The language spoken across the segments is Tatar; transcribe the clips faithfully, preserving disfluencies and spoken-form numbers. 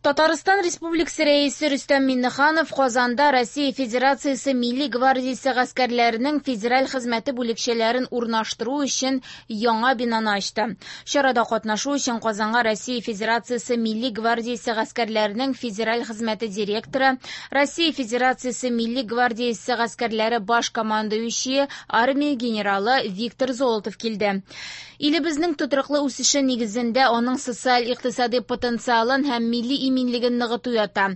Татарстан Республикасы Рәисе Рөстәм Миңнеханов Казанда Россия Федерациясе Милли гвардиясе гаскәрләренең федераль хезмәте бүлекчәләрен урнаштыру өчен яңа бинаны ачты. Чарада катнашу өчен Казанга Россия Федерациясе Милли гвардиясе гаскәрләренең федераль хезмәте директоры, Россия Федерациясе Милли гвардиясе гаскәрләре баш командующие, армия генералы Виктор Золотов килде. Илебезнең тотрыклы үсеше нигезендә аның социаль-икътисади потенциалын һәм милли иминлеген ныгыту ята.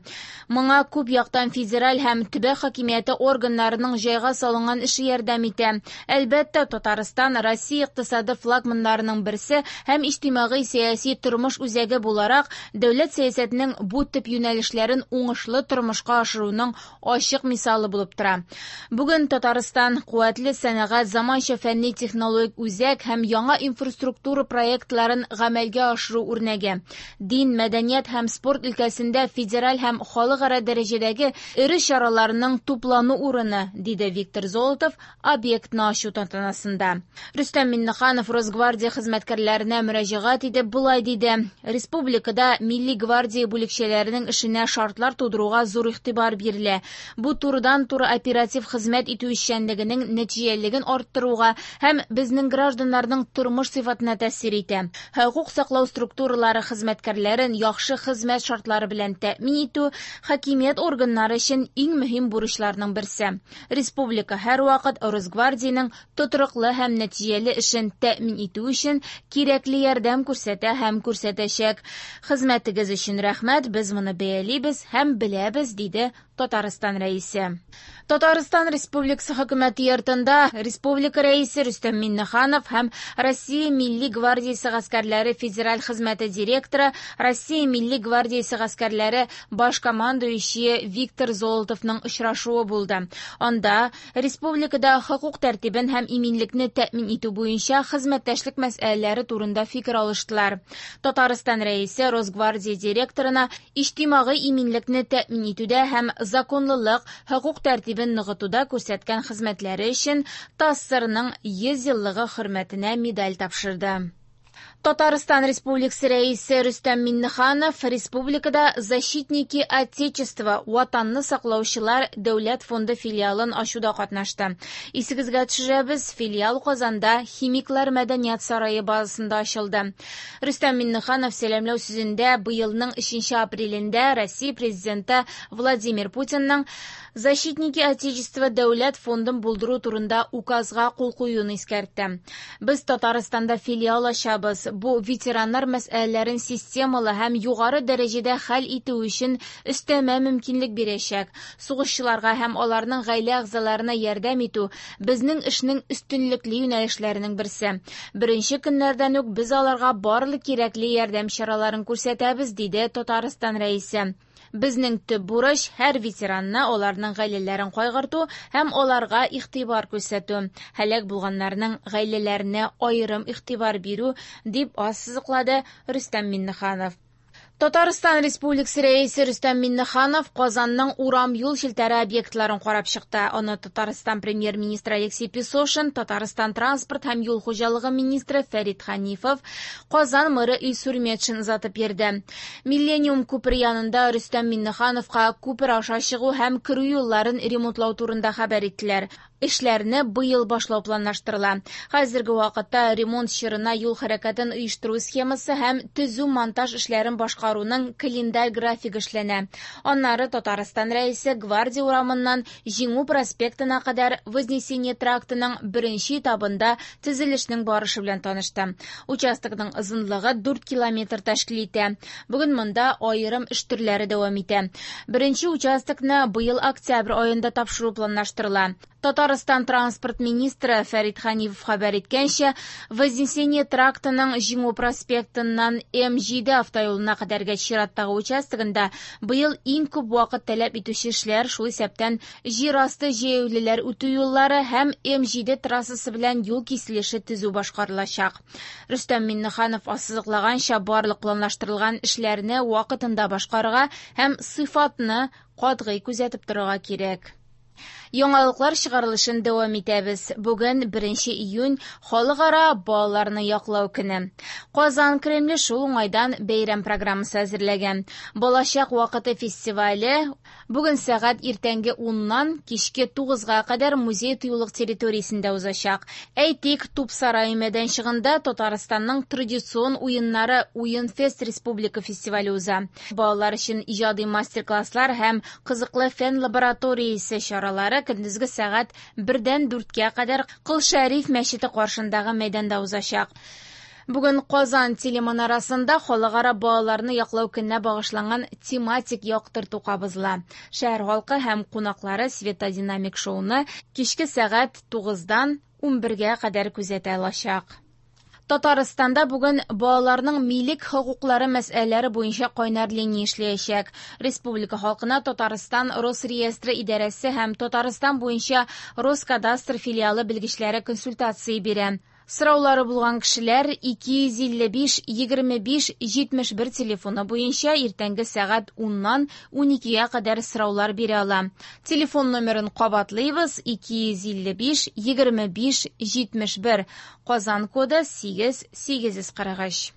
Моңа күп яктан федераль һәм төбәк хакимияте органнарының җайга салынган эше ярдәм итә. Әлбәттә, Татарстан Россия икътисады флагманнарының берсе һәм иҗтимагый-сәяси тормыш үзәге буларак дәүләт сәясәтенең бу төп юнәлешләрен уңышлы тормышка ашыруның ачык мисалы булып тора. Бүген Татарстан куәтле сәнәгать, заманча фәнни-технологик үзәк һәм яңа инфраструктура проектларын гамәлгә ашыру үрнәге. Дин, мәдәният һәм спорт өлкәсендә федераль һәм халыкара дәрәҗәдәге эре чараларның туплану урыны, диде Виктор Золотов объектны ачу тантанасында. Рөстәм Миңнеханов Росгвардия хезмәткәрләренә мөрәҗәгать итеп болай диде: Республикада Милли гвардия бүлекчәләренең эшенә шартлар тудыруга зур игътибар бирелә. Бу турыдан-туры оператив хезмәт итү эшчәнлегенең нәтиҗәлелеген арттыруга һәм безнең гражданнарның тормыш сыйфатына тәэсир итә. Хокук саклау структуралары хезмәткәрләрен яхшы хезмәт шартлары белән тәэмин итү хакимият органнары өчен иң мөһим бурычларның берсе. Республика һәрвакыт Росгвардиянең тотрыклы һәм нәтиҗәле эшен тәэмин итү өчен кирәкле ярдәм күрсәтә һәм күрсәтәчәк. Хезмәтегез өчен рәхмәт, без моны бәялибез һәм беләбез, диде Татарстан Рәисе. Татарстан Республикасы хөкүмәте йортында Республика Рәисе Рөстәм Миңнеханов һәм Россия Милли гвардиясе гаскәрләре федераль хезмәте директоры, Россия Милли гвардиясе гаскәрләре баш командующие Виктор Золотовның очрашуы булды. Анда республикада хокук тәртибен һәм иминлекне тәэмин итү буенча хезмәттәшлек мәсьәләләре турында фикер алыштылар. Татарстан Рәисе Росгвардия директорына иҗтимагый иминлекне тәэмин итүдә һәм законлылык, хокук тәртибен ныгытуда күрсәткән хезмәтләре өчен ТАССРның йөз еллыгы хөрмәтенә медаль тапшырды. Татарстан Республикасы Рәисе Рөстәм Миңнеханов республикада Защитники Отечества Ватанны саклаучылар дәүләт фонды филиалын ачуда катнашты. Исегезгә төшерәбез, филиал Казанда Химиклар мәдәният сарае базасында ачылды. Рөстәм Миңнеханов сәламләү сүзендә быелның өченче апрелендә Россия Президенты Владимир Путинның Защитники Отечества дәүләт фондын булдыру турында указга кул куюын искәртте. Без Татарстанда филиал ачабыз. Бу ветераннар мәсьәләләрен системалы һәм югары дәрәҗәдә хәл итү өчен өстәмә мөмкинлек бирәчәк. Сугышчыларга һәм аларның гаилә әгъзаларына ярдәм итү безнең эшнең өстенлекле юнәлешләренең берсе. Беренче көннәрдән үк без аларга барлык кирәкле ярдәм чараларын күрсәтәбез, диде Татарстан Рәисе. Безнең төп бурыч һәр ветеранны, аларның гаиләләрен кайгырту һәм аларга игътибар күрсәтү. Һәлак булганнарның гаиләләренә аерым игътибар бирү, дип ассызыклады Рөстәм Миңнеханов. Татарстан Республикасы Рәисе Рөстәм Миңнеханов Казанның урам юл челтәре объектларын карап чыкты. Аны Татарстан премьер-министры Алексей Песошин, Татарстан транспорт һәм юл хуҗалыгы министры Фәрит Ханифов, Казан мэры Илсур Метшин озатып йөрде. Миллениум күпере янында Рөстәм Миңнехановка күпер аша чыгу һәм керү юлларын ремонтлау турында хәбәр иттеләр. Эшләрне быел башлау планлаштырыла. Хәзерге вакытта ремонт чорына юл хәрәкәтен оештыру схемасы һәм төзү-монтаж эшләрен башкаруның календарь графигы эшләнә. Аннары Татарстан Рәисе Гвардия урамыннан Җиңү проспектына кадәр Вознесение трактының беренче этабында төзелешнең барышы белән танышты. Участокның озынлыгы дүрт километр тәшкил итә. Бүген монда аерым эш төрләре дәвам итә. Беренче участокны быел октябрь аенда тапшыру планлаштырыла. Татарстан транспорт министры Фәрит Ханифов хәбәр иткәнчә, Вознесение трактының Җиңү проспектыннан М җиде автоюлына кадәрге чираттагы участогында быел иң күп вакыт таләп итүче эшләр, шул исәптән җир асты җәяүлеләр үтү юллары һәм М җиде трассасы белән юл киселеше төзү башкарылачак. Рөстәм Миңнеханов ассызыклаганча, барлык планлаштырылган эшләрне вакытында башкарырга һәм сыйфатны катгый күзәтеп торырга кирәк. Яңалыклар чыгарылышын дәвам итәбез. Бүген беренче июнь Халыкара балаларны яклау көне. Казан Кремле шул уңайдан бәйрәм программасы әзерләгән. Балачак вакыты фестивале бүген сәгать иртәнге уннан кичке тугызга кадәр музей тыюлык территориясендә узачак. Әйтик, Туп сарае мәйданчыгында Татарстанның традицион уеннары Уенфест республика фестивале уза. Балалар өчен иҗади мастер-класслар һәм кызыклы фән лабораториясе чаралары көндезге сәгать бердән дүрткә кадәр Кол Шәриф мәчете каршындагы мәйданда узачак. Бүген Казан телеманарасында Халыкара балаларны яклау көненә багышланган тематик яктырту кабызыла. Шәһәр халкы һәм кунаклары светодинамик шоуны кичке сәгать тугыздан унбергә кадәр күзәтә алачак. Татарстанда бүген балаларның милек хокуклары мәсьәләләре буенча кайнар линия эшләячәк. Республика халкына Татарстан Росреестры идарәсе һәм Татарстан буенча Роскадастр филиалы белгечләре консультация бирә. Сораулары булган кешеләр ике йөз илле биш, егерме биш, җитмеш бер телефоны буенча иртәнге сәгать уннан уникегә кадәр сораулар бирә ала. Телефон номерын кабатлыйбыз: ике йөз илле биш, егерме биш, җитмеш бер. Казан коды сигез, сигез йөз кырык өч.